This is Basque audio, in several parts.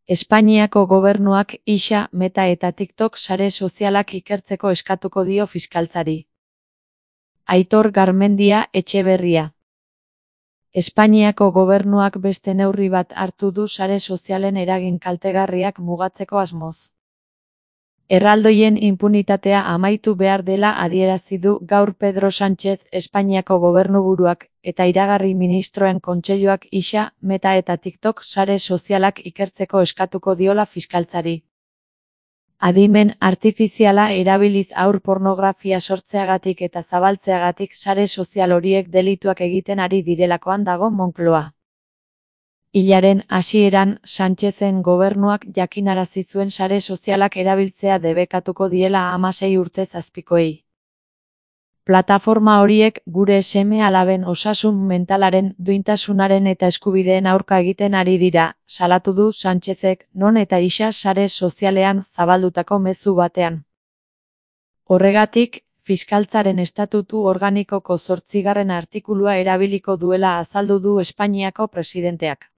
Espainiako gobernuak Ixa, Meta eta TikTok sare sozialak ikertzeko eskatuko dio fiskaltzari. Aitor Garmendia Etxeberria. Espainiako gobernuak beste neurri bat hartu du sare sozialen eragin kaltegarriak mugatzeko asmoz. Erraldoien inpunitatea amaitu behar dela adierazi du gaur Pedro Sánchez Espainiako gobernuburuak eta iragarri ministroen kontseiluak Ixa, Meta eta TikTok sare sozialak ikertzeko eskatuko diola fiskaltzari. Adimen artifiziala erabiliz haur pornografia sortzeagatik eta zabaltzeagatik sare sozial horiek delituak egiten ari direlakoan dago Moncloa. Hilaren hasieran Sánchezen gobernuak jakinarazi zuen sare sozialak erabiltzea debekatuko diela 16 urtez azpikoei. Plataforma horiek gure seme-alaben osasun mentalaren, duintasunaren eta eskubideen aurka egiten ari dira, salatu du Sánchezek, non eta Ixa sare sozialean zabaldutako mezu batean. Horregatik, fiskaltzaren estatutu organikoko 8. artikulua erabiliko duela azaldu du Espainiako presidenteak.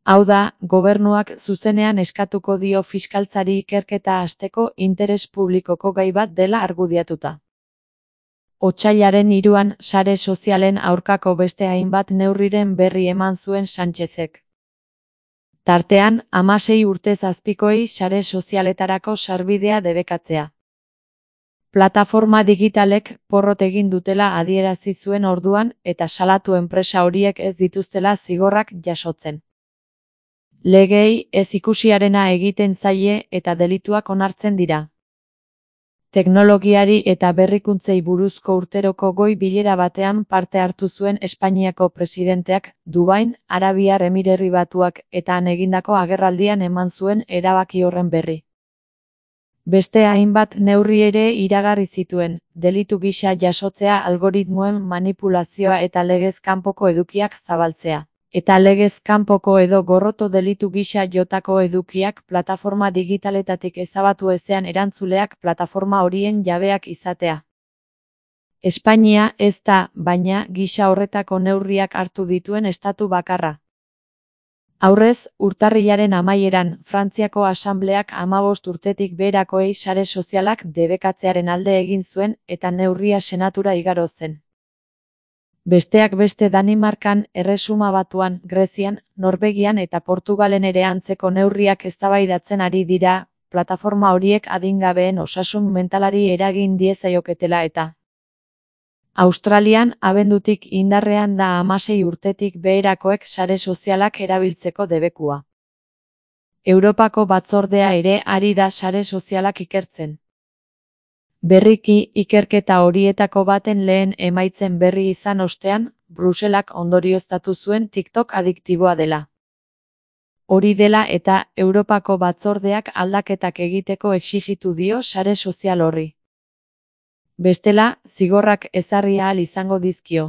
Hau da, gobernuak zuzenean eskatuko dio fiskaltzari ikerketa hasteko interes publikoko gai bat dela argudiatuta. Otsailaren 3an sare sozialen aurkako beste hainbat neurriren berri eman zuen Sánchezek. Tartean, 16 urtez azpikoei sare sozialetarako sarbidea debekatzea. Plataforma digitalek porrot egin dutela adierazi zuen orduan eta salatu enpresa horiek ez dituztela zigorrak jasotzen. Legeei ez ikusiarena egiten zaie eta delituak onartzen dira. Teknologiari eta berrikuntzei buruzko urteroko goi bilera batean parte hartu zuen Espainiako presidenteak, Dubain, Arabiar Emirerri Batuak eta han egindako agerraldian eman zuen erabaki horren berri. Beste hainbat neurri ere iragarri zituen, delitu gisa jasotzea algoritmoen manipulazioa eta legez kanpoko edukiak zabaltzea. Eta legez kanpoko edo gorroto delitu gisa jotako edukiak plataforma digitaletatik ezabatu ezean erantzuleak plataforma horien jabeak izatea. Espainia ez da, baina, gisa horretako neurriak hartu dituen estatu bakarra. Aurrez, urtarrilaren amaieran, Frantziako Asambleak 15 urtetik beherakoei sare sozialak debekatzearen alde egin zuen eta neurria senatura igaro zen. Besteak beste Danimarkan, Erresuma Batuan, Grezian, Norvegian eta Portugalen ere antzeko neurriak eztabaidatzen ari dira, plataforma horiek adingabeen osasun mentalari eragin diezaioketela eta. Australian, abendutik indarrean da 16 urtetik beherakoek sare sozialak erabiltzeko debekua. Europako batzordea ere ari da sare sozialak ikertzen. Berriki, ikerketa horietako baten lehen emaitzen berri izan ostean, Bruselak ondorioztatu zuen TikTok adiktiboa dela. Hori dela eta Europako batzordeak aldaketak egiteko exijitu dio sare sozial horri. Bestela, zigorrak ezarri ahal izango dizkio.